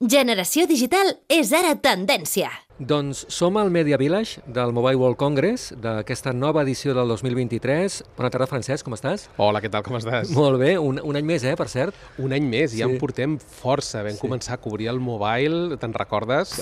Generació digital és ara tendència. Doncs som al Media Village del Mobile World Congress, d'aquesta nova edició del 2023. Bona tarda, Francesc, com estàs? Hola, què tal, com estàs? Molt bé, un any més, per cert. Un any més, ja Sí. en portem força. Vam començar a cobrir el mobile, te'n recordes?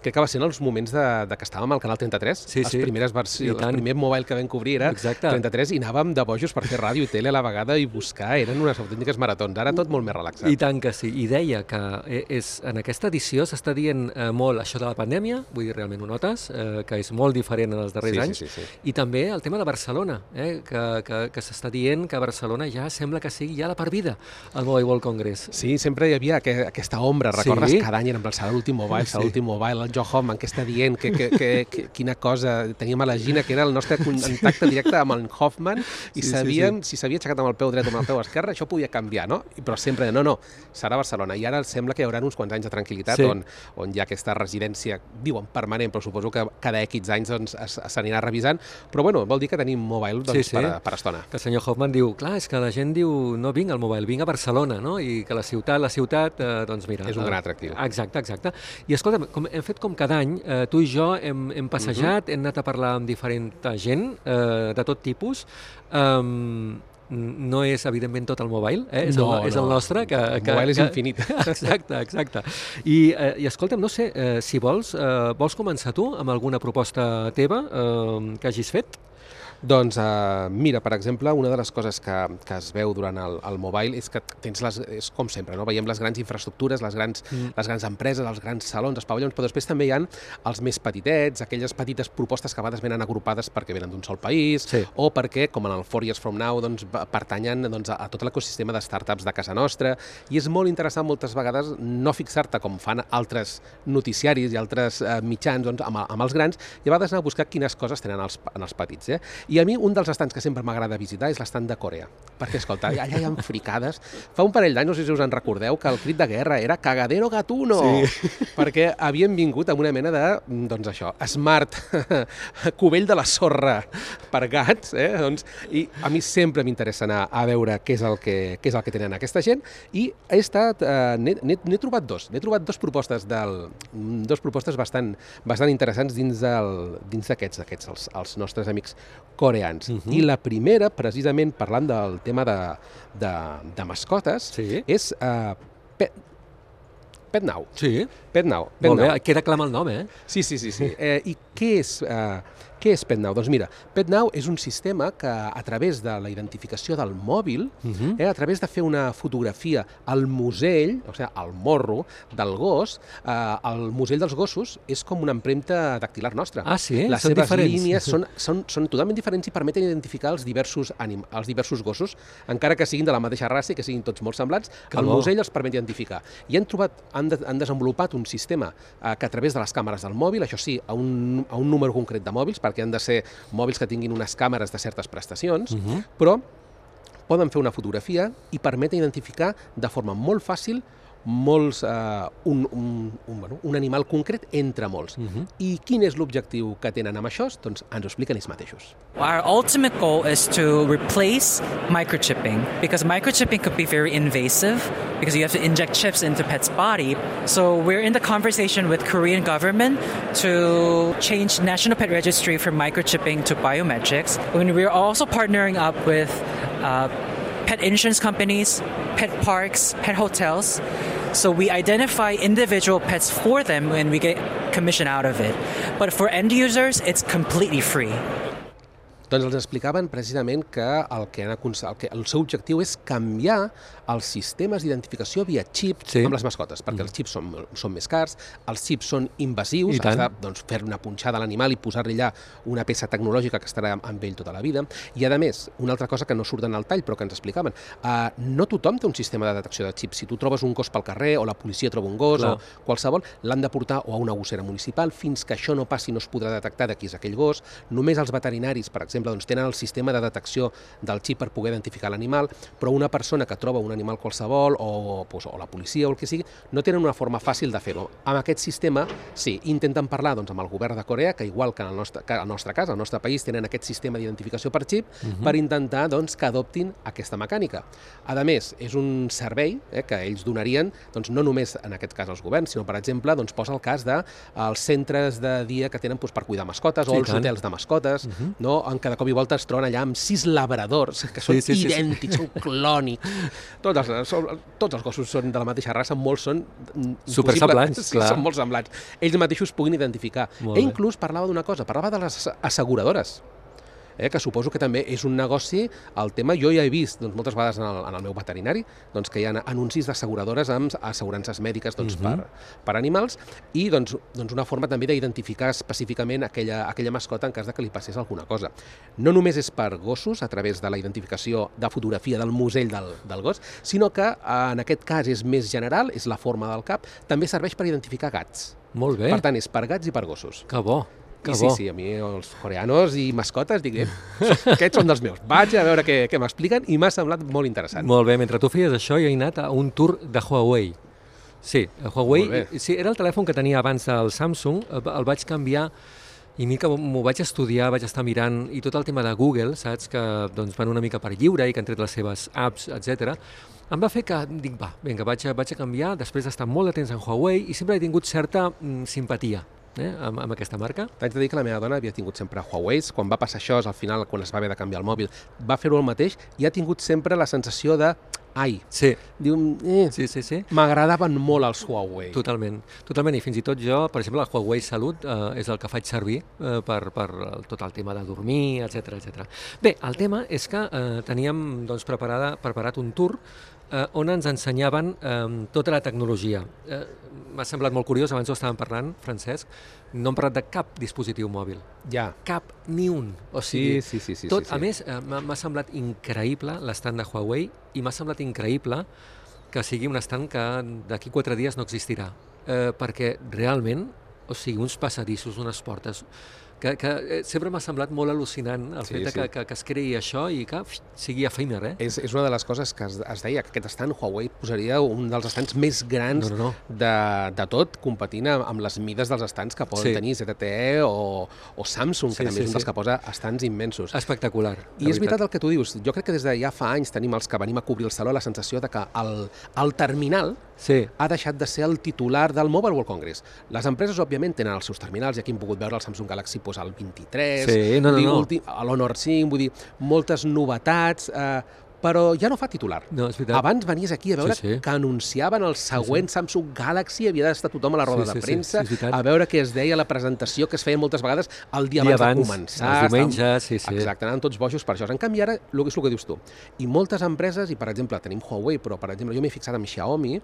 Crec que va ser en els moments de que estàvem al Canal 33. Sí, sí. Les primeres I versions, tant. el primer mobile que vam cobrir era Exacte. 33 i anàvem de bojos per fer ràdio i tele a la vegada i buscar. Eren unes autèntiques maratons. Ara tot molt més relaxat. I tant que sí. I deia que en aquesta edició s'està dient molt això de la pandèmia, vull dir, realment ho notes, que és molt diferent en els darrers anys. Sí. I també el tema de Barcelona, que s'està dient que Barcelona ja sembla que sigui ja la per vida al Mobile World Congress. Sí, sempre hi havia aquesta ombra, recordes? Sí. Cada any érem serà l'últim mobile, serà l'últim mobile, el Joe Hoffman que està dient quina cosa, teníem a la Gina que era el nostre contacte directe amb el Hoffman i sabíem si s'havia aixecat amb el peu dret o amb el peu esquerre, això podia canviar, no? Però sempre, no, serà Barcelona. I ara sembla que hi haurà uns quants anys de tranquil·litat on hi ha aquesta residència, diuen permanent, però suposo que cada X anys doncs, s'anirà revisant, però bueno, vol dir que tenim mobile doncs, per estona. Que el senyor Hoffman diu, clar, és que la gent diu, no vinc al mobile, vinc a Barcelona, no? I que la ciutat, doncs mira... És un gran atractiu. Exacte. I escolta'm, hem fet com cada any, tu i jo hem passejat, hem anat a parlar amb diferent gent de tot tipus. No és, evidentment, tot el mobile, és el nostre. El mobile és infinit. Exacte. I escolta'm, no sé, si vols començar tu amb alguna proposta teva que hagis fet? Doncs mira, per exemple, una de les coses que es veu durant el mobile és que tens és com sempre, no? Veiem les grans infraestructures, les grans empreses, els grans salons, els pavellons, però després també hi ha els més petitets, aquelles petites propostes que a vegades venen agrupades perquè venen d'un sol país o perquè, com en el 4 Years From Now, doncs, pertanyen a tot l'ecosistema de startups de casa nostra, i és molt interessant moltes vegades no fixar-te com fan altres noticiaris i altres mitjans doncs, amb els grans, i a vegades anar a buscar quines coses tenen en els petits. I a mi un dels estands que sempre m'agrada visitar és l'estant de Corea, perquè, escolta, allà hi ha fricades. Fa un parell d'anys, no sé si us en recordeu, que el crit de guerra era cagadero gatuno, perquè havien vingut amb una mena de, doncs això, smart cubell de la sorra per gats, i a mi sempre m'interessa anar a veure què és el que tenen aquesta gent, i n'he trobat dues propostes bastant interessants dins d'aquests, els nostres amics coreans. I la primera, precisament parlant del tema de mascotes, és PetNow. Sí. PetNow. Molt bé, queda clar el nom, Sí. I què és PetNow? Doncs mira, PetNow és un sistema que a través de la identificació del mòbil, a través de fer una fotografia al musell, o sigui, al morro del gos, el musell dels gossos és com una empremta dactilar nostra. Ah, sí? Les seves línies són totalment diferents i permeten identificar els diversos gossos, encara que siguin de la mateixa raça i que siguin tots molt semblants, el musell els permet identificar. I han desenvolupat un sistema que a través de les càmeres del mòbil, això sí, a un número concret de mòbils, perquè han de ser mòbils que tinguin unes càmeres de certes prestacions, però poden fer una fotografia i permeten identificar de forma molt fàcil un animal concret entre molts. I quin és l'objectiu que tenen amb això? Doncs ens ho expliquen ells mateixos. Our ultimate goal is to replace microchipping, because microchipping could be very invasive because you have to inject chips into pet's body. So we're in the conversation with Korean government to change National Pet Registry from microchipping to biometrics. And we're also partnering up with pet insurance companies, pet parks, pet hotels. So we identify individual pets for them and we get commission out of it. But for end users, it's completely free. Doncs els explicaven precisament que el seu objectiu és canviar els sistemes d'identificació via xip amb les mascotes, perquè els xips són més cars, els xips són invasius, has de fer una punxada a l'animal i posar-li allà una peça tecnològica que estarà amb ell tota la vida. I a més, una altra cosa que no surt en el tall però que ens explicaven, no tothom té un sistema de detecció de xips. Si tu trobes un gos pel carrer o la policia troba un gos o qualsevol, l'han de portar o a una gossera municipal. Fins que això no passi no es podrà detectar de qui és aquell gos. Només els veterinaris, per exemple, exemple, doncs, tenen el sistema de detecció del xip per poder identificar l'animal, però una persona que troba un animal qualsevol o la policia o el que sigui, no tenen una forma fàcil de fer-ho. Amb aquest sistema, sí, intenten parlar doncs, amb el govern de Corea, que igual que en el nostre cas, al nostre país, tenen aquest sistema d'identificació per xip per intentar doncs, que adoptin aquesta mecànica. A més, és un servei que ells donarien doncs, no només en aquest cas als governs, sinó, per exemple, doncs, posa el cas dels centres de dia que tenen doncs, per cuidar mascotes o els hotels de mascotes, no? En cada cop i volta es troben allà amb 6 labradors que són idèntics, són clònics. Tots els gossos són de la mateixa raça, molts són supersemblants, sí, són molt semblants. Ells mateixos puguin identificar. Inclús parlava d'una cosa, parlava de les asseguradores, que suposo que també és un negoci, el tema, jo ja he vist doncs, moltes vegades en el meu veterinari doncs, que hi ha anuncis d'asseguradores amb assegurances mèdiques doncs, per animals i doncs, una forma també d'identificar específicament aquella mascota en cas de que li passés alguna cosa. No només és per gossos, a través de la identificació de fotografia del musell del gos, sinó que en aquest cas és més general, és la forma del cap, també serveix per identificar gats. Molt bé. Per tant, és per gats i per gossos. Que bo. Sí, a mi els coreanos i mascotes dic, aquests són dels meus. Vaig a veure què m'expliquen i m'ha semblat molt interessant. Molt bé, mentre tu feies això jo he anat a un tour de Huawei. Sí, Huawei, sí, era el telèfon que tenia abans del Samsung, el vaig canviar i que m'ho vaig estudiar, vaig estar mirant i tot el tema de Google, saps, que doncs, van una mica per lliure i que han tret les seves apps, etc. Em va fer que dic, vinga, vaig a canviar després d'estar molt de temps en Huawei i sempre he tingut certa simpatia amb aquesta marca. T'haig de dir que la meva dona havia tingut sempre Huawei, quan va passar això, al final, quan es va haver de canviar el mòbil, va fer-ho el mateix i ha tingut sempre la sensació de sí. Diu, sí. M'agradaven molt els Huawei. Totalment, i fins i tot jo, per exemple, el Huawei Salut és el que faig servir per tot el tema de dormir, etc. Bé, el tema és que teníem doncs, preparat un tour on ens ensenyaven tota la tecnologia. M'ha semblat molt curiós, abans ho estàvem parlant, Francesc, no hem parlat de cap dispositiu mòbil. Ja. Cap, ni un. O sigui, sí. A més, m'ha semblat increïble l'estand de Huawei i m'ha semblat increïble que sigui un estand que d'aquí 4 dies no existirà. Perquè realment, o sigui, uns passadissos, unes portes, que sempre m'ha semblat molt al·lucinant el fet que es creï això i que sigui efímer. És una de les coses que es deia, que aquest estand Huawei posaria un dels estands més grans de tot, competint amb les mides dels estands que poden tenir ZTE o Samsung, que també és un dels que posa estands immensos. Espectacular. I és veritat el que tu dius. Jo crec que des de ja fa anys tenim els que venim a cobrir el saló la sensació de que el terminal ha deixat de ser el titular del Mobile World Congress. Les empreses, òbviament, tenen els seus terminals, i aquí hem pogut veure el Samsung Galaxy el 23, l'Honor 5, vull dir, moltes novetats, però ja no fa titular. No, és veritat. Abans venies aquí a veure que anunciaven el següent Samsung Galaxy, havia d'estar tothom a la roda de premsa, a veure què es deia la presentació, que es feia moltes vegades el dia abans de començar. Els diumenges, Exacte, anaven tots bojos per això. En canvi, ara, és el que dius tu. I moltes empreses, i per exemple, tenim Huawei, però per exemple, jo m'he fixat amb Xiaomi,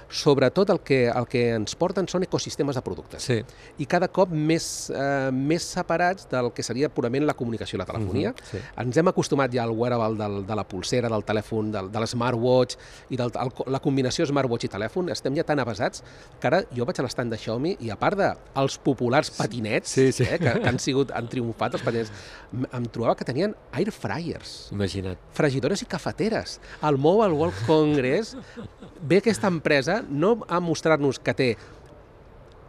sobretot el que ens porten són ecosistemes de productes. I cada cop més separats del que seria purament la comunicació i la telefonia. Ens hem acostumat ja al wearable de la pulsera, del telèfon, de l'smartwatch i la combinació smartwatch i telèfon, estem ja tan avasats que ara jo vaig a l'estand de Xiaomi i a part dels populars patinets que han triomfat, els patinets, em trobava que tenien air fryers. Imagina't. Fregidores i cafeteres. Al Mobile World Congress ve aquesta empresa no a mostrar-nos que té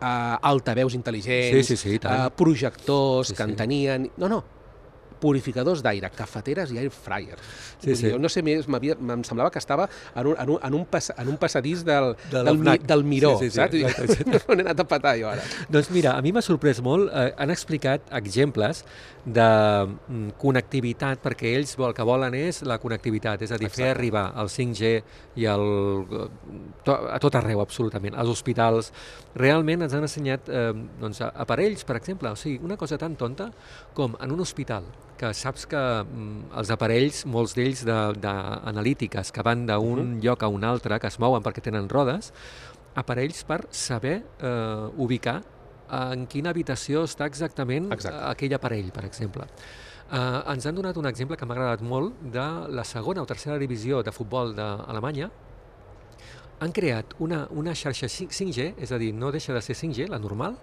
altaveus intel·ligents, projectors que en tenien... No, purificadors d'aire, cafeteres i air fryer. Jo no sé més, em semblava que estava en un passadís del Miró, saps? On he anat a petar jo ara. Doncs mira, a mi m'ha sorprès molt, han explicat exemples de connectivitat, perquè ells el que volen és la connectivitat, és a dir, fer arribar el 5G i a tot arreu, absolutament, als hospitals. Realment ens han ensenyat aparells, per exemple, o sigui, una cosa tan tonta com en un hospital, que saps que els aparells, molts d'ells d'analítiques, que van d'un lloc a un altre, que es mouen perquè tenen rodes, aparells per saber ubicar en quina habitació està exactament aquell aparell, per exemple. Ens han donat un exemple que m'ha agradat molt de la segona o tercera divisió de futbol d'Alemanya. Han creat una xarxa 5G, és a dir, no deixa de ser 5G, la normal,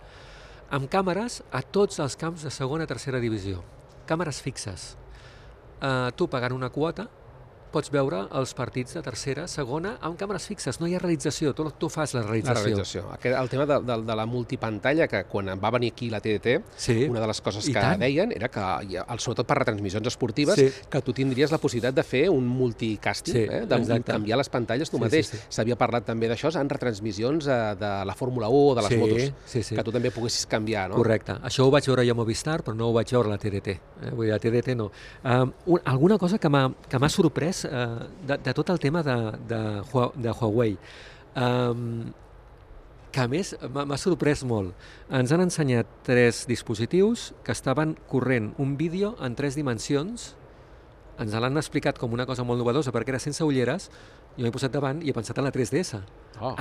amb càmeres a tots els camps de segona i tercera divisió. càmeres fixes. Tu pagant una quota pots veure els partits de tercera, segona, amb càmeres fixes. No hi ha realització, tu fas la realització. La realització. El tema de la multipantalla, que quan va venir aquí la TDT, una de les coses que deien era que, sobretot per retransmissions esportives, que tu tindries la possibilitat de fer un multicasting, de canviar les pantalles tu mateix. S'havia parlat també d'això en retransmissions de la Fórmula 1 o de les motos, que tu també poguessis canviar, no? Correcte. Això ho vaig veure jo a Movistar, però no ho vaig veure a la TDT. Vull dir, a TDT no. Alguna cosa que m'ha sorprès de tot el tema de Huawei, que a més m'ha sorprès molt. Ens han ensenyat 3 dispositius que estaven corrent un vídeo en 3 dimensions. Ens l'han explicat com una cosa molt novedosa perquè era sense ulleres. Jo m'he posat davant i he pensat en la 3DS.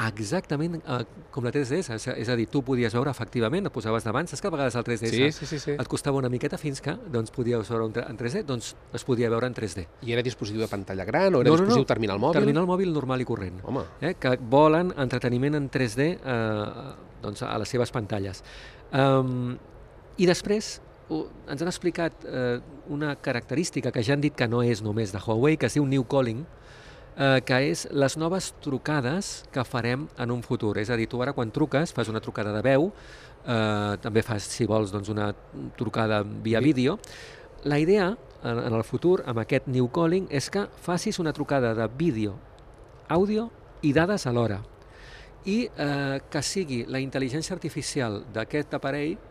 Exactament com la 3DS. És a dir, tu podies veure efectivament, et posaves davant, saps que a vegades el 3DS et costava una miqueta fins que podíeis veure en 3D, doncs es podia veure en 3D. I era dispositiu de pantalla gran o era dispositiu terminal mòbil? Terminal mòbil normal i corrent. Que volen entreteniment en 3D a les seves pantalles. I després ens han explicat una característica que ja han dit que no és només de Huawei, que es diu New Calling, que és les noves trucades que farem en un futur. És a dir, tu ara quan truques, fas una trucada de veu, també fas, si vols, una trucada via vídeo. La idea, en el futur, amb aquest New Calling, és que facis una trucada de vídeo, àudio i dades alhora. I que sigui la intel·ligència artificial d'aquest aparell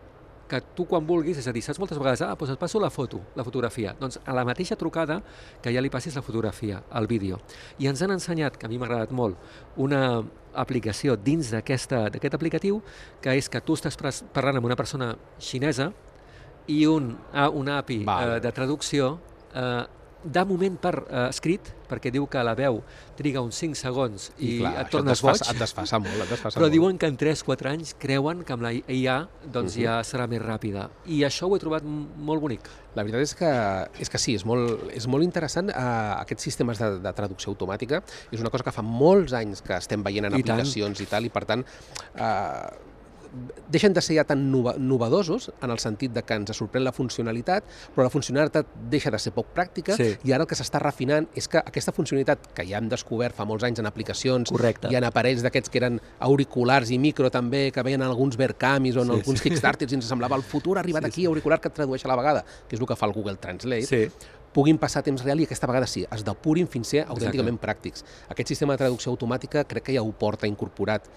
que tu quan vulguis, és a dir, saps moltes vegades, doncs et passo la fotografia. Doncs a la mateixa trucada que ja li passis la fotografia, el vídeo. I ens han ensenyat, que a mi m'ha agradat molt, una aplicació dins d'aquest aplicatiu, que és que tu estàs parlant amb una persona xinesa i una API de traducció de moment per escrit, perquè diu que la veu triga uns 5 segons i et tornes boig. Et desfasa molt. Però diuen que en 3-4 anys creuen que amb la IA ja serà més ràpida. I això ho he trobat molt bonic. La veritat és que sí, és molt interessant. Aquests sistemes de traducció automàtica és una cosa que fa molts anys que estem veient en aplicacions i tal, i per tant deixen de ser ja tan novedosos en el sentit de que ens sorprèn la funcionalitat, però la funcionalitat deixa de ser poc pràctica i ara el que s'està refinant és que aquesta funcionalitat que ja hem descobert fa molts anys en aplicacions i en aparells d'aquests que eren auriculars i micro també, que veien alguns Vercamis o en alguns Kickstarters i ens semblava el futur ha arribat aquí, auricular que et tradueix a la vegada, que és el que fa el Google Translate, puguin passar a temps real i aquesta vegada sí, es depurin fins a ser autènticament pràctics. Aquest sistema de traducció automàtica crec que ja ho porta incorporat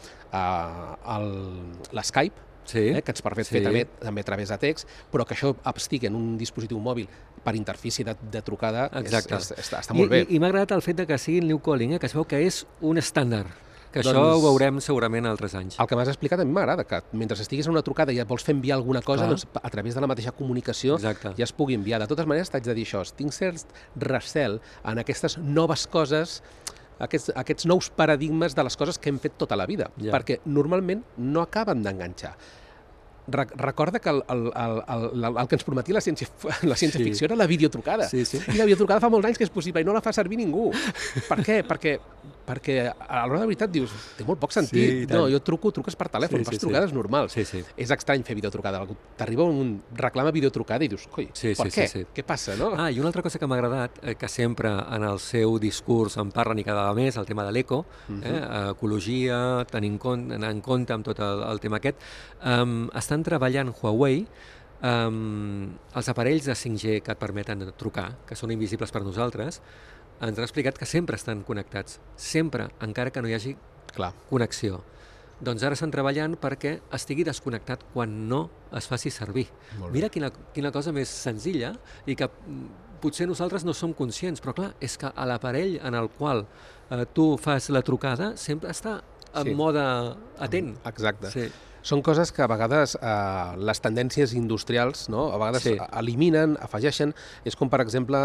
l'Skype, que ens permet fer també a través de text, però que això estigui en un dispositiu mòbil per interfície de trucada està molt bé. I m'ha agradat el fet que sigui el New Calling, que es veu que és un estàndard, que això ho veurem segurament altres anys. El que m'has explicat a mi m'agrada, que mentre estiguis en una trucada i et vols fer enviar alguna cosa, doncs a través de la mateixa comunicació ja es pugui enviar. De totes maneres, t'haig de dir això, tinc cert recel en aquestes noves coses, aquests nous paradigmes de les coses que hem fet tota la vida, perquè normalment no acaben d'enganxar. Recorda que el que ens prometia la ciència-ficció era la videotrucada. I la videotrucada fa molts anys que és possible i no la fa servir ningú. Per què? Perquè a l'hora de veritat dius, té molt poc sentit. No, jo truques per telèfon, fas trucades normals. És estrany fer videotrucada. T'arriba un reclama videotrucada i dius, coi, per què? Què passa, no? I una altra cosa que m'ha agradat, que sempre en el seu discurs en parlen i cada vegada més, el tema de l'eco, ecologia, tenint en compte amb tot el tema aquest, estan treballant Huawei els aparells de 5G que et permeten trucar, que són invisibles per nosaltres, ens han explicat que sempre estan connectats, sempre, encara que no hi hagi connexió. Doncs ara estan treballant perquè estigui desconnectat quan no es faci servir. Mira quina cosa més senzilla i que potser nosaltres no som conscients, però clar, és que a l'aparell en el qual tu fas la trucada sempre està en mode atent. Exacte. Són coses que a vegades les tendències industrials a vegades eliminen, afegeixen. És com, per exemple,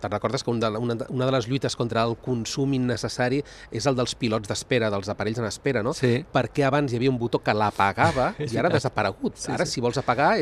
te'n recordes que una de les lluites contra el consum innecessari és el dels pilots d'espera, dels aparells en espera, no? Perquè abans hi havia un botó que l'apagava i ara ha desaparegut. Ara, si vols apagar,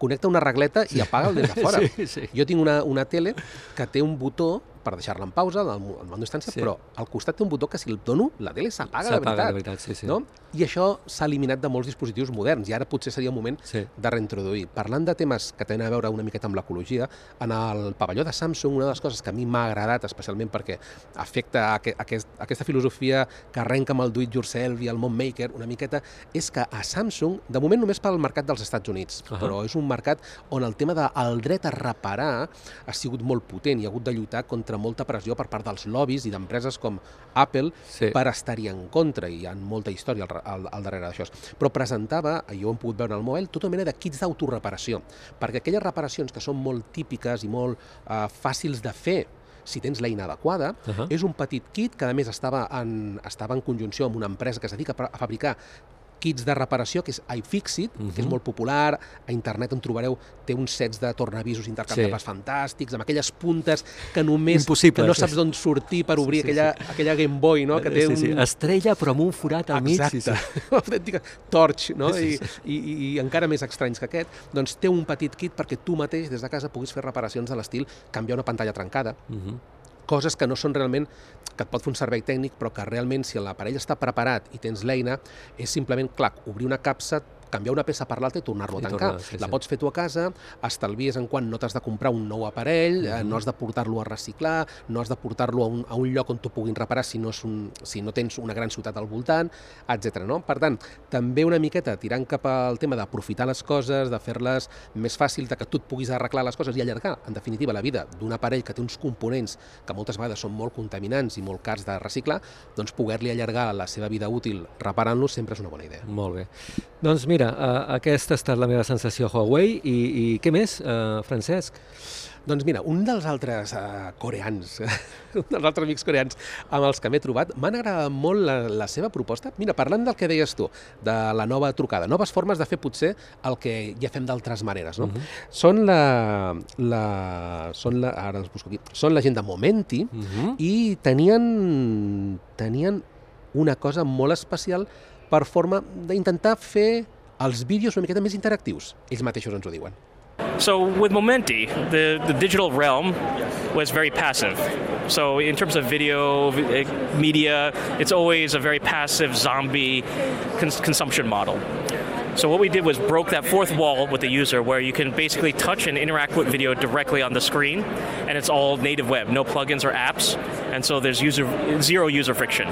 connecta una regleta i apaga'l des de fora. Jo tinc una tele que té un botó per deixar-la en pausa, el mando d'instància, Sí. però al costat té un botó que si el dono, la tele s'apaga de veritat. Sí, sí. No? I això s'ha eliminat de molts dispositius moderns i ara potser seria un moment Sí. de reintroduir. Parlant de temes que tenen a veure una miqueta amb l'ecologia, en el pavelló de Samsung una de les coses que a mi m'ha agradat especialment perquè afecta aquesta filosofia que arrenca amb el do-it-yourself i el mom maker una miqueta, és que a Samsung, de moment només pel mercat dels Estats Units, però és un mercat on el tema del dret a reparar ha sigut molt potent i ha hagut de lluitar contra molta pressió per part dels lobbies i d'empreses com Apple per estar-hi en contra, i hi ha molta història al darrere d'això. Però presentava, jo ho hem pogut veure al mòbil, tota mena de kits d'autoreparació, perquè aquelles reparacions que són molt típiques i molt fàcils de fer si tens l'eina adequada, és un petit kit que a més estava en conjunció amb una empresa que es dedica a fabricar kits de reparació, que és iFixit, que és molt popular, a internet en trobareu, té uns sets de tornavisos intercanviables fantàstics, amb aquelles puntes que només que no saps d'on sortir per obrir aquella Game Boy, no? Que té estrella però amb un forat al mig. Exacte, autèntica torch, no? I encara més estranys que aquest, doncs té un petit kit perquè tu mateix des de casa puguis fer reparacions de l'estil canviar una pantalla trencada, coses que no són realment, que et pot fer un servei tècnic, però que realment, si l'aparell està preparat i tens l'eina, és simplement, clar, obrir una capsa, canviar una peça per l'altra i tornar-lo a tancar. La pots fer tu a casa, estalvies en quan no t'has de comprar un nou aparell, no has de portar-lo a reciclar, no has de portar-lo a un lloc on t'ho puguin reparar si no tens una gran ciutat al voltant, etc. No? Per tant, també una miqueta tirant cap al tema d'aprofitar les coses, de fer-les més fàcils, de que tu et puguis arreglar les coses i allargar, en definitiva, la vida d'un aparell que té uns components que moltes vegades són molt contaminants i molt cars de reciclar, doncs poder-li allargar la seva vida útil reparant-los sempre és una bona idea. Molt bé. Doncs mira, aquesta ha estat la meva sensació Huawei i què més, Francesc? Doncs mira, un dels altres coreans, un dels altres amics coreans amb els que m'he trobat, m'han agradat molt la seva proposta. Mira, parlant del que deies tu, de la nova trucada, noves formes de fer potser el que ja fem d'altres maneres, no? Són ara els busco aquí, són la gent de Momenti i tenien una cosa molt especial per forma d'intentar fer els vídeos una miqueta més interactius. Ells mateixos ens ho diuen. So with Momenti, the digital realm was very passive. So in terms of video, media, it's always a very passive zombie consumption model. So what we did was broke that fourth wall with the user where you can basically touch and interact with video directly on the screen, and it's all native web, no plugins or apps, and so there's zero user friction.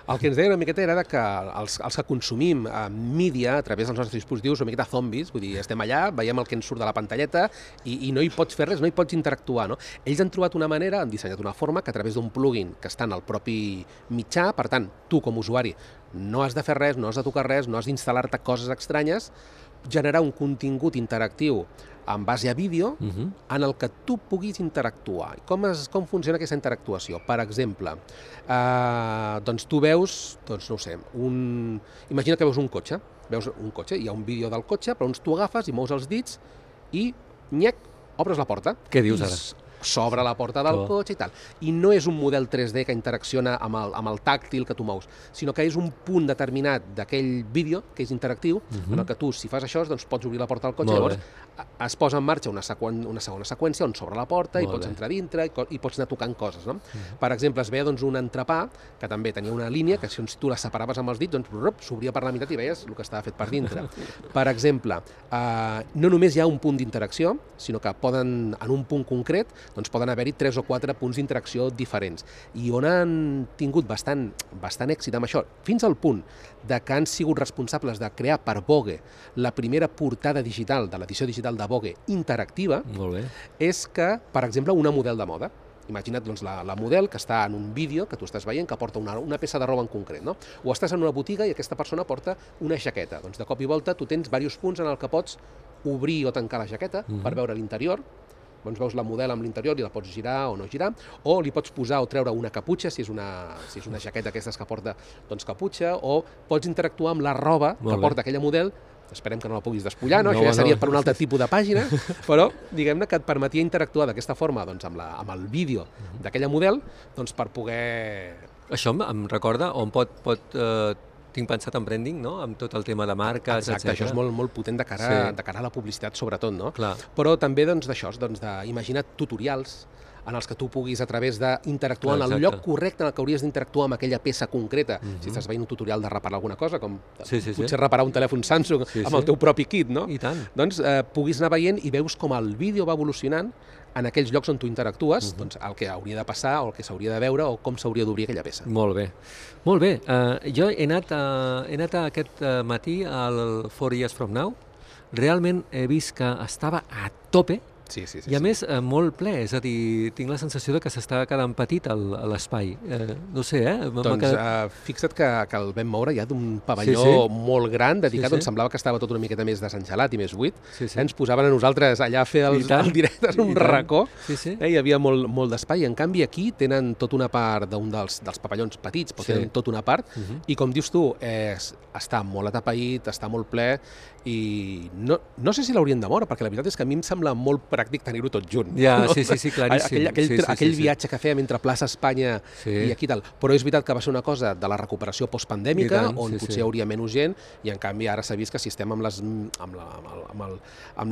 El que ens deia una miqueta era que els que consumim mídia a través dels nostres dispositius una miqueta zombis, vull dir, estem allà, veiem el que ens surt de la pantalleta i no hi pots fer res, no hi pots interactuar, no? Ells han trobat una manera, han dissenyat una forma que a través d'un plugin que està en el propi mitjà, per tant, tu com a usuari no has de fer res, no has de tocar res, no has d'instal·lar-te coses estranyes, generar un contingut interactiu en base a vídeo en el que tu puguis interactuar. Com funciona aquesta interactuació? Per exemple, doncs tu veus, doncs no ho sé, imagina que veus un cotxe, hi ha un vídeo del cotxe, però tu agafes i mous els dits i, nyec, obres la porta. Què dius ara? S'obre la porta del cotxe i tal. I no és un model 3D que interacciona amb el tàctil que tu mous, sinó que és un punt determinat d'aquell vídeo, que és interactiu, en el que tu, si fas això, doncs pots obrir la porta del cotxe, llavors es posa en marxa una segona seqüència on s'obre la porta i pots entrar dintre i pots anar tocant coses, no? Per exemple, es veia doncs un entrepà que també tenia una línia que si tu la separaves amb els dits, doncs s'obria per la meitat i veies el que estava fet per dintre. Per exemple, no només hi ha un punt d'interacció, sinó que poden, en un punt concret, doncs poden haver-hi 3 o 4 punts d'interacció diferents. I on han tingut bastant èxit amb això, fins al punt de que han sigut responsables de crear per Vogue la primera portada digital de l'edició digital de Vogue interactiva, és que, per exemple, una model de moda. Imagina't doncs, la model que està en un vídeo que tu estàs veient que porta una peça de roba en concret, no? O estàs en una botiga i aquesta persona porta una jaqueta. Doncs de cop i volta tu tens diversos punts en el que pots obrir o tancar la jaqueta per veure l'interior. Doncs veus la model amb l'interior i la pots girar o no girar, o li pots posar o treure una caputxa, si és una jaqueta d'aquestes que porta doncs, caputxa, o pots interactuar amb la roba que porta aquella model. Esperem que no la puguis despullar, no? Això ja seria per un altre tipus de pàgina, però diguem-ne que et permetia interactuar d'aquesta forma doncs, amb el vídeo d'aquella model doncs, per poder... Això em recorda on tinc pensat en branding, no? Amb tot el tema de marques, etc. Exacte, això és molt potent de cara a la publicitat, sobretot, no? Però també d'això, d'imagina't tutorials en els que tu puguis, a través d'interactuar en el Exacte. lloc correcte en el que hauries d'interactuar amb aquella peça concreta, si estàs veient un tutorial de reparar alguna cosa, com potser reparar un telèfon Samsung amb el teu propi kit, no? I tant. Doncs puguis anar veient i veus com el vídeo va evolucionant en aquells llocs on tu interactues, doncs el que hauria de passar o el que s'hauria de veure o com s'hauria d'obrir aquella peça. Molt bé. Molt bé. Jo he anat aquest matí al 4 Years From Now. Realment he vist que estava a tope Sí. i a més molt ple, és a dir, tinc la sensació de que s'està quedant petit l'espai. No sé, Doncs fixa't que el vam moure ja d'un pavelló molt gran, dedicat, on semblava que estava tot una miqueta més desengelat i més buit. Ens posaven a nosaltres allà a fer el directe en un racó. Hi havia molt d'espai. En canvi, aquí tenen tota una part d'un dels pavellons petits, però tenen tota una part, i com dius tu, està molt atapeït, està molt ple, i no sé si l'haurien de moure, perquè la veritat és que a mi em sembla molt pràctic tenir-ho tot junt. Ja, sí, claríssim. Aquell viatge que fèiem entre plaça Espanya i aquí tal. Però és veritat que va ser una cosa de la recuperació postpandèmica, on potser hi hauria menys gent, i en canvi ara s'ha vist que si estem amb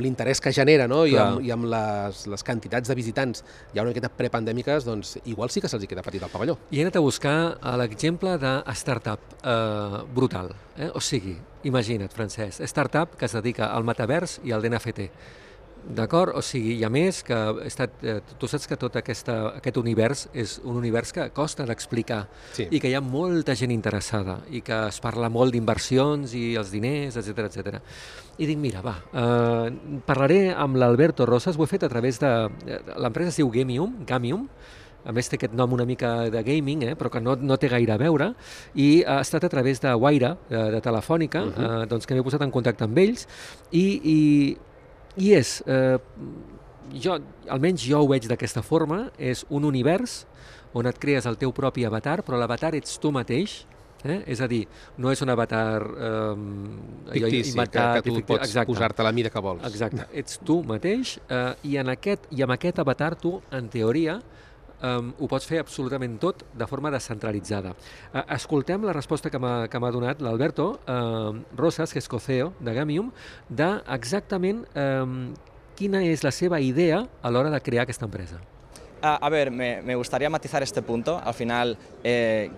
l'interès que genera, no? I amb les quantitats de visitants ja una miqueta prepandèmiques, doncs igual sí que se'ls queda petit el pavelló. I he anat a buscar l'exemple de startup brutal. O sigui, imagina't, Francesc, startup que es dedica al metavers i al NFT. D'acord? O sigui, i a més, que tu saps que tot aquest univers és un univers que costa d'explicar i que hi ha molta gent interessada i que es parla molt d'inversions i els diners, etc. I dic, mira, parlaré amb l'Alberto Rosas, ho he fet a través de... L'empresa es diu Gamium, a més té aquest nom una mica de gaming, però que no té gaire a veure, i ha estat a través de Wayra, de Telefònica, doncs que m'he posat en contacte amb ells, i és, almenys jo ho veig d'aquesta forma, és un univers on et crees el teu propi avatar, però l'avatar ets tu mateix, és a dir, no és un avatar fictici, que tu pots posar-te la mida que vols. Exacte, ets tu mateix, i amb aquest avatar tu, en teoria, ho pots fer absolutament tot de forma descentralitzada. Escoltem la resposta que m'ha donat l'Alberto Rosas, que és co-CEO de Gamium, d'exactament quina és la seva idea a l'hora de crear aquesta empresa. A ver, me gustaría matizar este punto. Al final,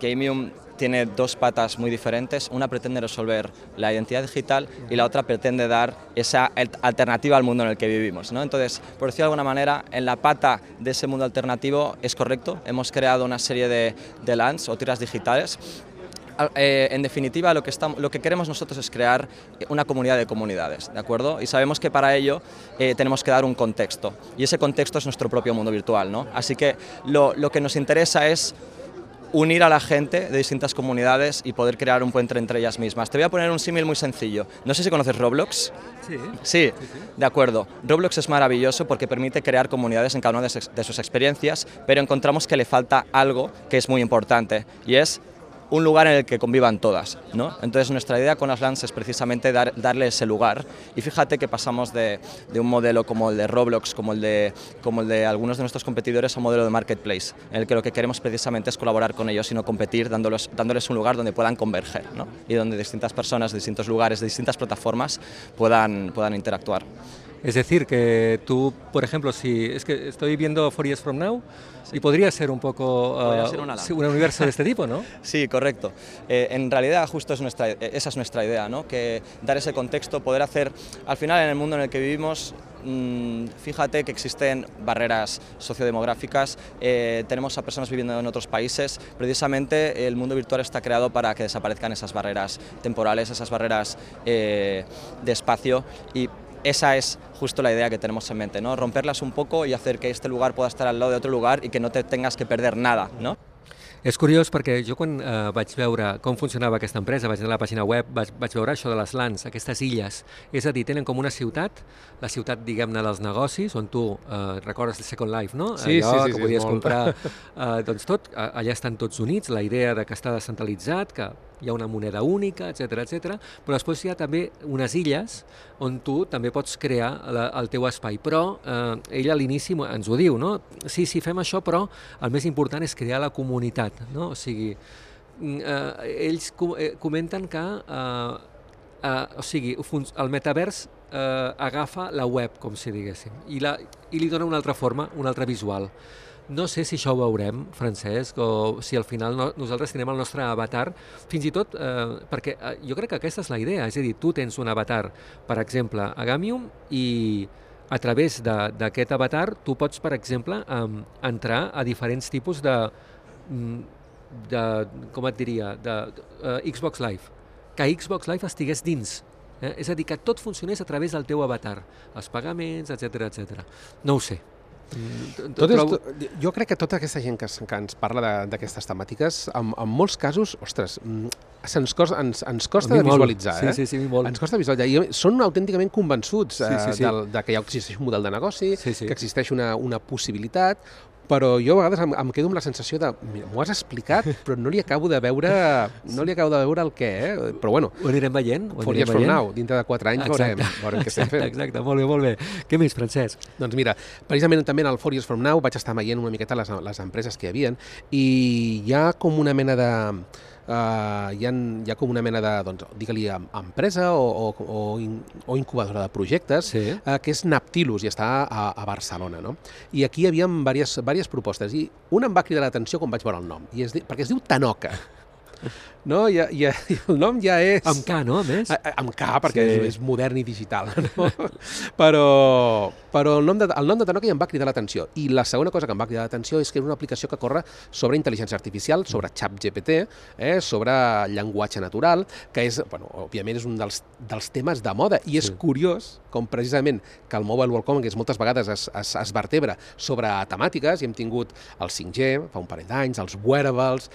Gamium tiene dos patas muy diferentes. Una pretende resolver la identidad digital y la otra pretende dar esa alternativa al mundo en el que vivimos, ¿no? Entonces, por decirlo de alguna manera, en la pata de ese mundo alternativo es correcto. Hemos creado una serie de LANs o tiras digitales. En definitiva, lo que queremos nosotros es crear una comunidad de comunidades, ¿de acuerdo? Y sabemos que para ello tenemos que dar un contexto, y ese contexto es nuestro propio mundo virtual, ¿no? Así que lo que nos interesa es unir a la gente de distintas comunidades y poder crear un puente entre ellas mismas. Te voy a poner un símil muy sencillo. No sé si conoces Roblox. Sí, de acuerdo. Roblox es maravilloso porque permite crear comunidades en cada una de sus experiencias, pero encontramos que le falta algo que es muy importante, y es un lugar en el que convivan todas, ¿no? Entonces nuestra idea con las LANs es precisamente darle ese lugar, y fíjate que pasamos de un modelo como el de Roblox, como el de algunos de nuestros competidores, a un modelo de marketplace, en el que lo que queremos precisamente es colaborar con ellos y no competir, dándoles un lugar donde puedan converger, ¿no? Y donde distintas personas de distintos lugares, de distintas plataformas puedan interactuar. Es decir, que tú, por ejemplo, es que estoy viendo 4 Years From Now, y podría ser un poco un universo de este tipo, ¿no? Sí, correcto. En realidad, justo esa es nuestra idea, ¿no? Que dar ese contexto, poder hacer, al final, en el mundo en el que vivimos, fíjate que existen barreras sociodemográficas, tenemos a personas viviendo en otros países. Precisamente el mundo virtual está creado para que desaparezcan esas barreras temporales, esas barreras de espacio, y esa es justo la idea que tenemos en mente, ¿no? Romperlas un poco y hacer que este lugar pueda estar al lado de otro lugar y que no te tengas que perder nada, ¿no? És curiós perquè jo quan vaig veure com funcionava aquesta empresa, vaig anar a la pàgina web, vaig veure això de les LANs, aquestes illes. És a dir, tenen com una ciutat, la ciutat, diguem-ne, dels negocis, on tu recordes el Second Life, no? Sí, allò que podies comprar, doncs tot, allà estan tots units, la idea de que està descentralitzat, que hi ha una moneda única, etc, però després hi ha també unes illes on tu també pots crear el teu espai. Però ell a l'inici ens ho diu, no? Sí, fem això, però el més important és crear la comunitat, no? O sigui, ells comenten que el metavers agafa la web, com si diguéssim, i li dona una altra forma, una altra visual. No sé si això ho veurem, Francesc, o si al final nosaltres tenim el nostre avatar, fins i tot perquè jo crec que aquesta és la idea, és a dir, tu tens un avatar, per exemple, a Gamium, i a través d'aquest avatar tu pots, per exemple, entrar a diferents tipus de com et diria, de Xbox Live, que Xbox Live estigués dins. És a dir, que tot funcionés a través del teu avatar, els pagaments, etc. No ho sé. Jo crec que tota aquesta gent que ens parla d'aquestes temàtiques, en molts casos, ostres, ens costa de visualitzar. Sí, molt. Ens costa visualitzar. I són autènticament convençuts de que ja existeix un model de negoci, que existeix una possibilitat, però jo a vegades em quedo amb la sensació de m'ho has explicat, però no li acabo de veure el què, però bueno. Ho anirem veient. Folies from now, dintre de 4 anys veurem què estem fent. Exacte, molt bé. Què més, Francesc? Doncs mira, precisament també en el Folies from now vaig estar veient una miqueta les empreses que hi havia i hi ha com una mena de... hi ha com una mena de, doncs, digue-li, empresa o incubadora de projectes, que és Naptilus i està a Barcelona, no? I aquí hi havia diverses propostes i una em va cridar l'atenció quan vaig veure el nom, perquè es diu Tanoka. No? I el nom ja és... Amb K, no? A més? Amb K, perquè és modern i digital. No? Però el nom de Tanoka ja em va cridar l'atenció. I la segona cosa que em va cridar l'atenció és que és una aplicació que corre sobre intel·ligència artificial, sobre ChatGPT, sobre llenguatge natural, que és, bueno, òbviament és un dels temes de moda. I és curiós com precisament que el Mobile World Congress moltes vegades es vertebra sobre temàtiques, i hem tingut el 5G fa un parell d'anys, els wearables,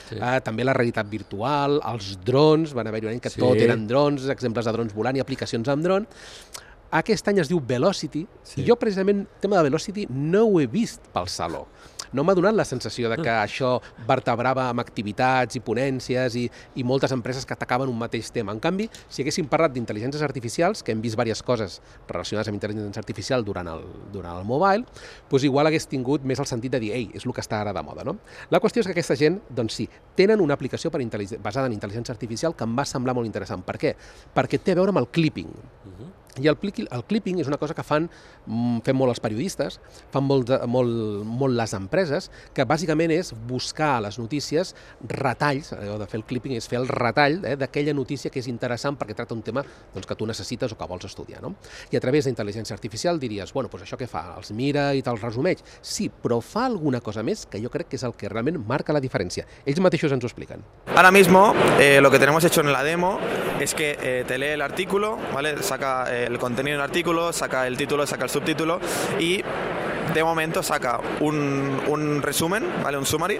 també la realitat virtual, els drons, van haver-hi un any que tot eren drons, exemples de drons volant i aplicacions amb dron. Aquest any es diu Velocity, i jo precisament el tema de Velocity no ho he vist pel saló. No m'ha donat la sensació de que això vertebrava amb activitats i ponències i moltes empreses que atacaven un mateix tema. En canvi, si haguéssim parlat d'intel·ligències artificials, que hem vist diverses coses relacionades amb intel·ligència artificial durant el mobile, doncs igual hagués tingut més el sentit de dir, ei, és el que està ara de moda, no? La qüestió és que aquesta gent, doncs sí, tenen una aplicació basada en intel·ligència artificial que em va semblar molt interessant. Per què? Perquè té a veure amb el clipping. I el clipping és una cosa que fem molt els periodistes, fan molt les empreses, que bàsicament és buscar a les notícies retalls, allò de fer el clipping és fer el retall d'aquella notícia que és interessant perquè tracta un tema que tu necessites o que vols estudiar. I a través d'intel·ligència artificial diries, bueno, doncs això què fa? Els mira i te'ls resumeix? Sí, però fa alguna cosa més que jo crec que és el que realment marca la diferència. Ells mateixos ens ho expliquen. Ahora mismo lo que tenemos hecho en la demo es que te lee el artículo, ¿vale? Saca el contenido del artículo, saca el título, saca el subtítulo y de momento saca un resumen, ¿vale? Un summary,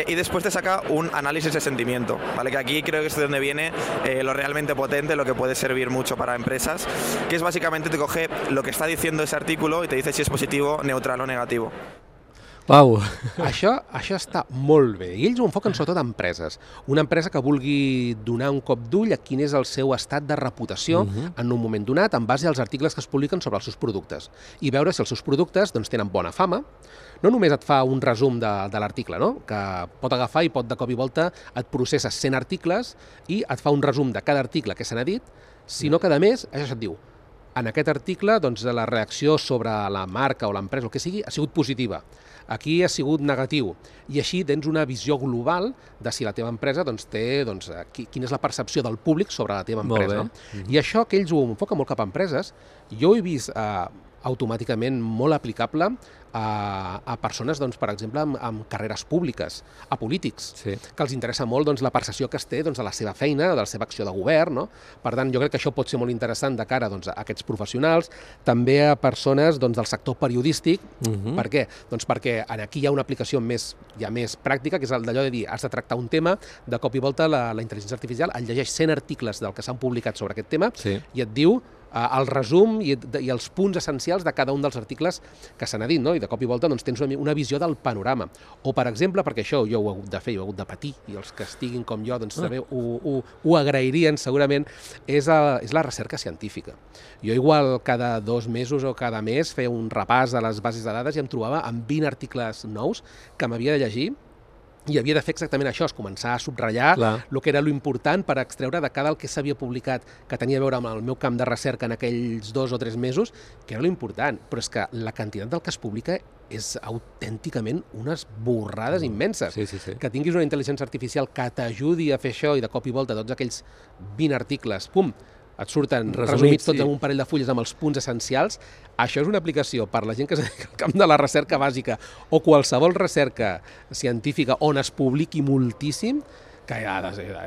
y después te saca un análisis de sentimiento, ¿vale? Que aquí creo que es de donde viene lo realmente potente, lo que puede servir mucho para empresas, que es básicamente te coge lo que está diciendo ese artículo y te dice si es positivo, neutral o negativo. Uau! Això està molt bé. I ells ho enfoquen sobretot a empreses. Una empresa que vulgui donar un cop d'ull a quin és el seu estat de reputació en un moment donat en base als articles que es publiquen sobre els seus productes. I veure si els seus productes tenen bona fama. No només et fa un resum de l'article, que pot agafar i pot de cop i volta et processa 100 articles i et fa un resum de cada article que se n'ha dit, sinó que a més, això et diu, en aquest article la reacció sobre la marca o l'empresa o el que sigui ha sigut positiva. Aquí ha sigut negatiu, i així tens una visió global de si la teva empresa té, quina és la percepció del públic sobre la teva empresa. I això que ells ho enfoquen molt cap a empreses, jo ho he vist automàticament molt aplicable a persones, per exemple, amb carreres públiques, a polítics, que els interessa molt la percepció que es té de la seva feina, de la seva acció de govern. Per tant, jo crec que això pot ser molt interessant de cara a aquests professionals, també a persones del sector periodístic. Per què? Doncs perquè aquí hi ha una aplicació més pràctica, que és d'allò de dir, has de tractar un tema, de cop i volta la intel·ligència artificial et llegeix 100 articles del que s'han publicat sobre aquest tema i et diu el resum i els punts essencials de cada un dels articles que s'han dit, i de cop i volta tens una visió del panorama. O, per exemple, perquè això jo ho he hagut de fer, jo he hagut de patir, i els que estiguin com jo també ho agrairien segurament, és la recerca científica. Jo igual cada 2 mesos o cada mes feia un repàs de les bases de dades i em trobava amb 20 articles nous que m'havia de llegir i havia de fer exactament això, començar a subratllar el que era l'important per extreure de cada el que s'havia publicat, que tenia a veure amb el meu camp de recerca en aquells 2 o 3 mesos, que era l'important. Però és que la quantitat del que es publica és autènticament unes borrades immenses. Que tinguis una intel·ligència artificial que t'ajudi a fer això i de cop i volta tots aquells 20 articles, pum, et surten resumits tots en un parell de fulles amb els punts essencials. Això és una aplicació per la gent que es dedica al camp de la recerca bàsica o qualsevol recerca científica on es publiqui moltíssim, que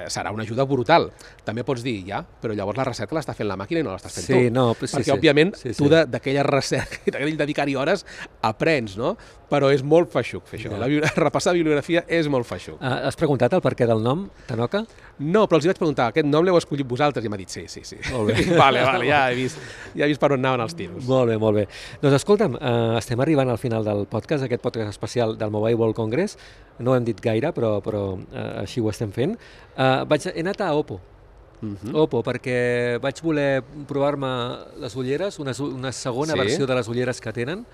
serà una ajuda brutal. També pots dir, però llavors la recerca l'està fent la màquina i no l'estàs fent tu. Perquè, òbviament, tu d'aquella recerca i d'aquell dedicar-hi hores aprens, no? Però és molt feixuc fer això. Repassar bibliografia és molt feixuc. Has preguntat el perquè del nom, Tanoka? No, però els vaig preguntar, aquest nom l'heu escollit vosaltres? I m'ha dit sí. Molt bé. Vale, ja he vist per on anaven els tiros. Molt bé. Doncs escolta'm, estem arribant al final del podcast, aquest podcast especial del Mobile World Congress. No ho hem dit gaire, però així ho estem fent. He anat a Oppo. Oppo, perquè vaig voler provar-me les ulleres, una segona versió de les ulleres que tenen,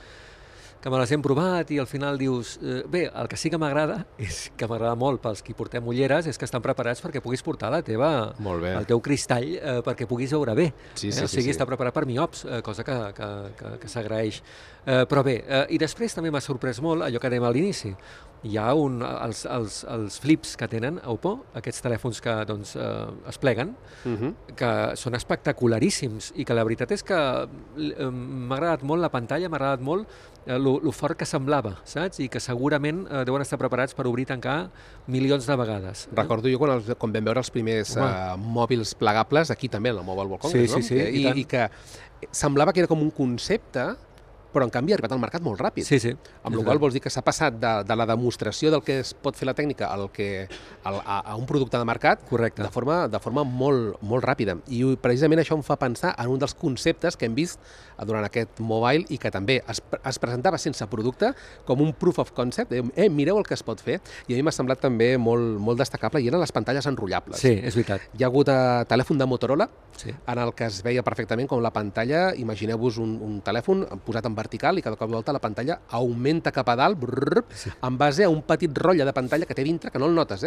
que me les hem provat i al final dius... Bé, el que sí que m'agrada, és que m'agrada molt pels qui portem ulleres, és que estan preparats perquè puguis portar el teu cristall perquè puguis veure bé. O sigui, està preparat per miops, cosa que s'agraeix. Però bé, i després també m'ha sorprès molt allò que dèiem a l'inici. Hi ha els flips que tenen a Oppo, aquests telèfons que es pleguen, que són espectacularíssims i que la veritat és que m'ha agradat molt la pantalla, m'ha agradat molt lo fort que semblava, saps? I que segurament deuen estar preparats per obrir i tancar milions de vegades. Recordo jo quan vam veure els primers mòbils plegables, aquí també, en el Mobile World Congress, no? I que semblava que era com un concepte, però en canvi ha arribat al mercat molt ràpid. Amb la qual vols dir que s'ha passat de la demostració del que es pot fer la tècnica a un producte de mercat de forma molt ràpida. I precisament això em fa pensar en un dels conceptes que hem vist durant aquest mobile i que també es presentava sense producte com un proof of concept. Mireu el que es pot fer. I a mi m'ha semblat també molt destacable i eren les pantalles enrotllables. Sí, és veritat. Hi ha hagut telèfon de Motorola en el que es veia perfectament com la pantalla, imagineu-vos un telèfon posat en vertical i cada cop i volta la pantalla augmenta cap a dalt en base a un petit rotlle de pantalla que té dintre, que no el notes,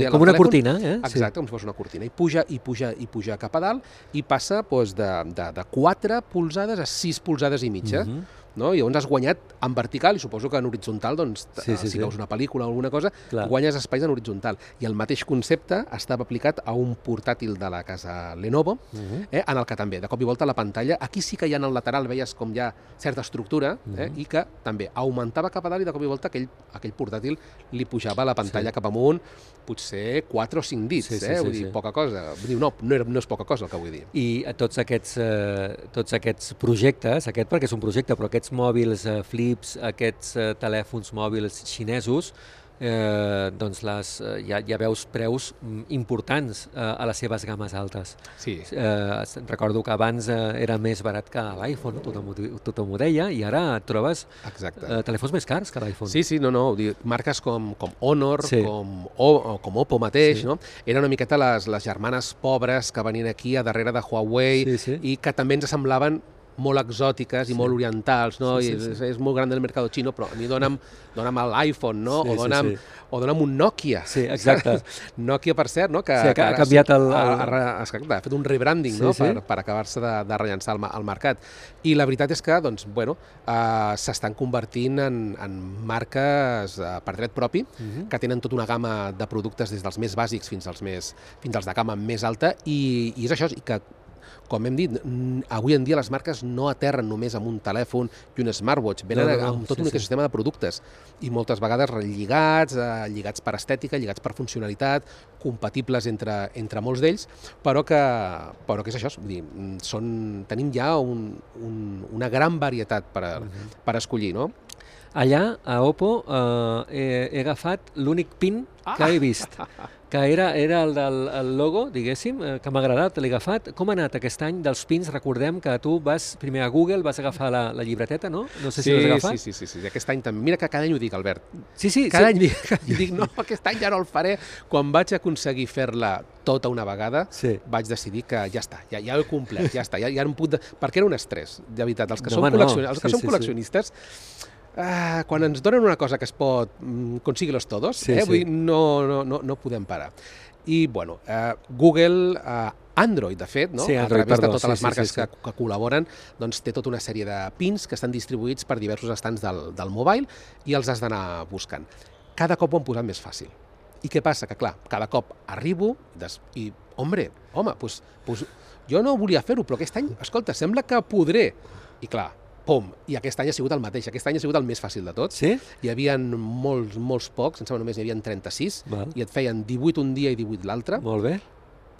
com una cortina, Exacte, com si fos una cortina. I puja cap a dalt i passa de 4 polzades a 6 polzades i mitja. I llavors has guanyat en vertical i suposo que en horitzontal, si veus una pel·lícula o alguna cosa, guanyes espais en horitzontal. I el mateix concepte estava aplicat a un portàtil de la casa Lenovo, en el que també, de cop i volta, la pantalla, aquí sí que ja en el lateral veies com hi ha certa estructura i que també augmentava cap a dalt i de cop i volta aquell portàtil li pujava la pantalla cap amunt, potser 4 o 5 dits, vull dir, poca cosa. No és poca cosa el que vull dir. I tots aquests projectes, perquè és un projecte, però aquests mòbils flips, aquests telèfons mòbils xinesos, ja veus preus importants a les seves games altes. Recordo que abans era més barat que l'iPhone, tothom ho deia, i ara et trobes telèfons més cars que l'iPhone. Marques com Honor, com Oppo mateix, eren una miqueta les germanes pobres que venien aquí a darrere de Huawei i que també ens semblaven molt exòtiques i molt orientals, és molt gran del mercat xino, però a mi dona'm l'iPhone, o dona'm un Nokia. Sí, exacte. Nokia, per cert, que ha canviat ha fet un rebranding per acabar-se de rellançar al mercat. I la veritat és que s'estan convertint en marques per dret propi, que tenen tota una gamma de productes des dels més bàsics fins als de gamma més alta, i és això, i que com hem dit, avui en dia les marques no aterren només amb un telèfon i un smartwatch, venen amb tot un ecosistema de productes i moltes vegades lligats per estètica, lligats per funcionalitat, compatibles entre molts d'ells, però que és això, tenim ja una gran varietat per escollir, no? Allà, a Oppo, he agafat l'únic pin que he vist, que era el del logo, diguéssim, que m'ha agradat, l'he agafat. Com ha anat aquest any dels pins? Recordem que tu vas primer a Google, vas agafar la llibreteta, no? No sé si l'has agafat. Sí, aquest any també. Mira que cada any ho dic, Albert. Sí. Cada any dic, no, aquest any ja no el faré. Quan vaig aconseguir fer-la tota una vegada, vaig decidir que ja està, ja ho he complert, ja està. Perquè era un estrès, de veritat. Els que som col·leccionistes, quan ens donen una cosa que es pot consíguelos todos, vull dir, no podem parar. I, bueno, Google, Android, de fet, no? A través de totes les marques que col·laboren, doncs té tota una sèrie de pins que estan distribuïts per diversos estants del mobile i els has d'anar buscant. Cada cop ho han posat més fàcil. I què passa? Que, clar, cada cop arribo i, home, doncs jo no volia fer-ho, però aquest any, escolta, sembla que podré. I clar, pum, i aquest any ha sigut el mateix. Aquest any ha sigut el més fàcil de tot. Sí? Hi havia molts pocs, em sembla només n'hi havia 36, i et feien 18 un dia i 18 l'altre. Molt bé.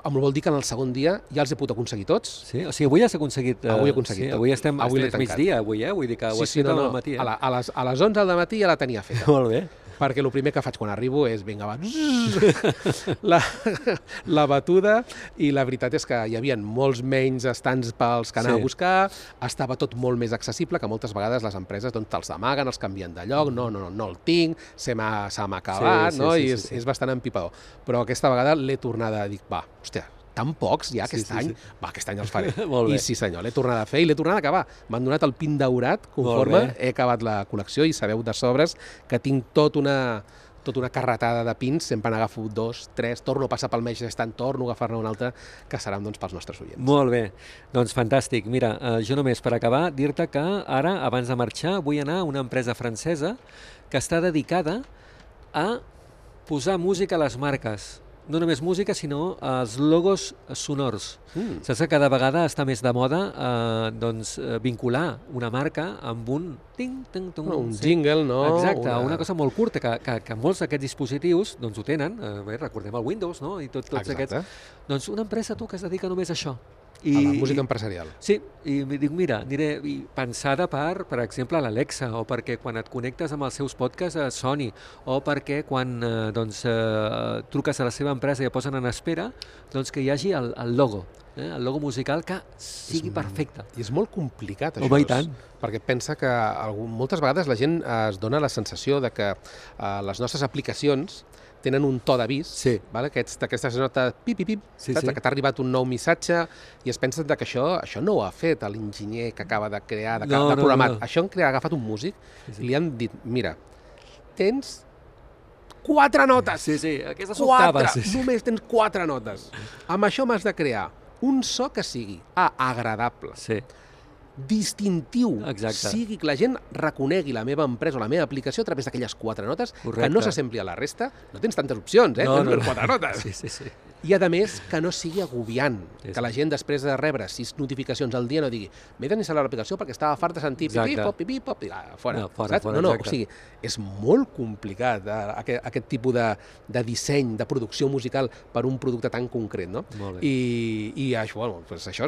Vol dir que en el segon dia ja els he pogut aconseguir tots. Sí? O sigui, avui has aconseguit... Avui he aconseguit tot. Avui estem migdia, avui, vull dir que ho has fet al matí. A les 11 del matí ja la tenia feta. Molt bé. Perquè el primer que faig quan arribo és, vinga, va, la batuda, i la veritat és que hi havia molts menys estants pels que anar a buscar, estava tot molt més accessible, que moltes vegades les empreses te'ls amaguen, els canvien de lloc, no el tinc, se m'ha acabat, i és bastant empipador. Però aquesta vegada l'he tornada a dir, va, hòstia, tan pocs ja aquest any, va, aquest any els faré. I sí senyor, l'he tornat a fer i l'he tornat a acabar. M'han donat el pin daurat conforme he acabat la col·lecció, i sabeu de sobres que tinc tota una carretada de pins, sempre n'agafo 2, 3, torno a passar pel mateix estant, torno a agafar-ne un altre, que seran pels nostres oients. Molt bé, doncs fantàstic. Mira, jo només per acabar dir-te que ara, abans de marxar, vull anar a una empresa francesa que està dedicada a posar música a les marques. No només música, sinó els logos sonors. Saps que cada vegada està més de moda vincular una marca amb un jingle, no? Exacte, una cosa molt curta, que molts d'aquests dispositius ho tenen, recordem el Windows, no? I tots aquests. Doncs una empresa, que es dedica només a això. A la música empresarial. Sí, i dic, mira, pensada per exemple, a l'Alexa, o perquè quan et connectes amb els seus podcasts soni, o perquè quan truques a la seva empresa i et posen en espera, doncs que hi hagi el logo, el logo musical que sigui perfecte. I és molt complicat, això. Home, i tant. Perquè pensa que moltes vegades la gent es dona la sensació de que les nostres aplicacions tenen un to d'avís, d'aquestes notes pip, que t'ha arribat un nou missatge, i es pensen que això no ho ha fet l'enginyer que acaba de crear, de programat. Això ha agafat un músic i li han dit, mira, tens 4 notes. Sí, aquestes octaves. Només tens 4 notes. Amb això m'has de crear un so que sigui agradable, distintiu, sigui que la gent reconegui la meva empresa o la meva aplicació a través d'aquelles 4 notes, que no s'assembli a la resta. No tens tantes opcions, tens 4 notes. Sí. I, a més, que no sigui agobiant, que la gent, després de rebre 6 notificacions al dia, no digui, m'he d'instal·lar l'aplicació perquè estava fart de sentir pipip, fora. No, o sigui, és molt complicat aquest tipus de disseny, de producció musical per un producte tan concret, no? I això,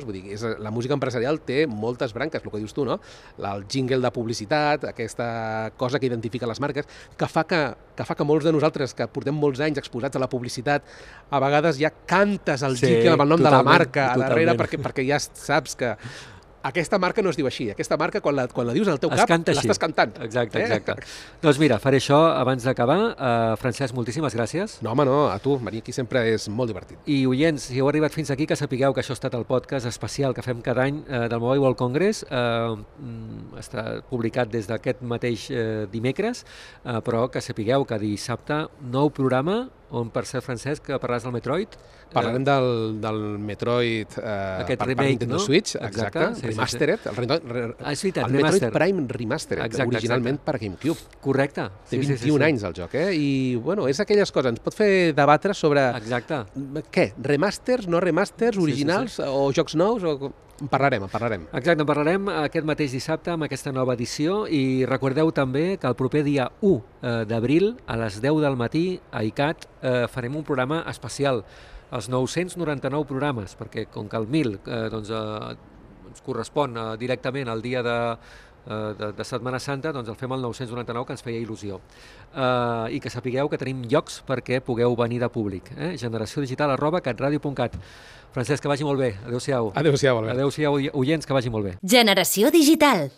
vull dir, la música empresarial té moltes branques, el que dius tu, no? El jingle de publicitat, aquesta cosa que identifica les marques, que fa que molts de nosaltres, que portem molts anys exposats a la publicitat, a vegades ja cantes el jingle amb el nom de la marca a darrere, perquè ja saps que aquesta marca no es diu així. Aquesta marca, quan la dius al teu cap, l'estàs cantant. Exacte. Doncs mira, faré això abans d'acabar. Francesc, moltíssimes gràcies. No, home, no, a tu. Venir aquí sempre és molt divertit. I oients, si heu arribat fins aquí, que sapigueu que això ha estat el podcast especial que fem cada any del Mobile World Congress. Està publicat des d'aquest mateix dimecres, però que sapigueu que dissabte nou programa, on, per cert, Francesc, parlaràs del Metroid. Parlarem del Metroid per Nintendo Switch, exacte, Remastered. El Metroid Prime Remastered, originalment per GameCube. Correcte. Té 21 anys el joc, i, bueno, és aquelles coses. Ens pot fer debatre sobre què? Remasters, no remasters, originals o jocs nous? En parlarem. Exacte, en parlarem aquest mateix dissabte amb aquesta nova edició, i recordeu també que el proper dia 1 d'abril a les 10 del matí a ICAT farem un programa especial, els 999 programes, perquè com que el 1000 ens correspon directament al dia de Setmana Santa, doncs el fem al 999, que ens feia il·lusió. I que sapigueu que tenim llocs perquè pugueu venir de públic. generatiodigital@catradio.cat. Francesc, que vagi molt bé. Adéu-siau. Adéu-siau, Albert. Adéu-siau, oients, que vagi molt bé. Generació Digital.